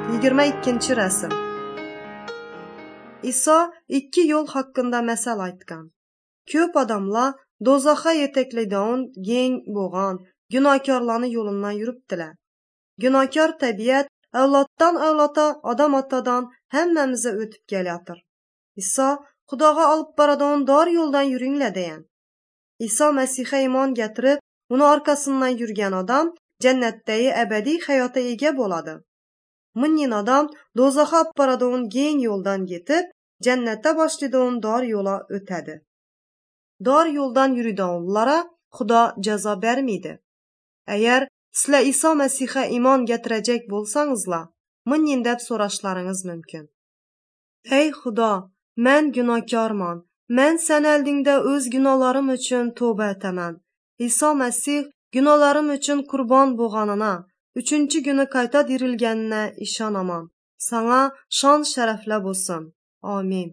22 рәсем. Иса ikki yo'l haqqında məsəl aytqan. Köp adamlar dozaxa yetekleydiğin geng boğan günahkarlarını yolundan yürüpdülər. Günahkar təbiət övladdan övlada, adam atadan həmməmizə ötüb gəlятır. İsa Xudağa alıb baradığın dar yoldan yürüyünlə deyən. İsa Məsihə iman gətirib, onu arkasından yürüyən adam cənnətdəyi əbədi həyata ega boladı. Minin adam dozaxa aparadığın geng yoldan getib, cənnətdə başladığın dar yola ötədi. Dar yoldan yürüdənlərə Xuda cəza verməydi. Əgər sizlə İsa Məsihə iman gətirəcək bolsanızla, minin dəb soraşlarınız mümkün. Ey Xuda, mən günahkarman. Mən sən əldində öz günahlarım üçün tövbə etəmən. İsa Məsih günahlarım üçün qurban boğanına, üçüncü günü qayta dirilgəninə işanaman. Sana şan şərəflə bolsun. Amin.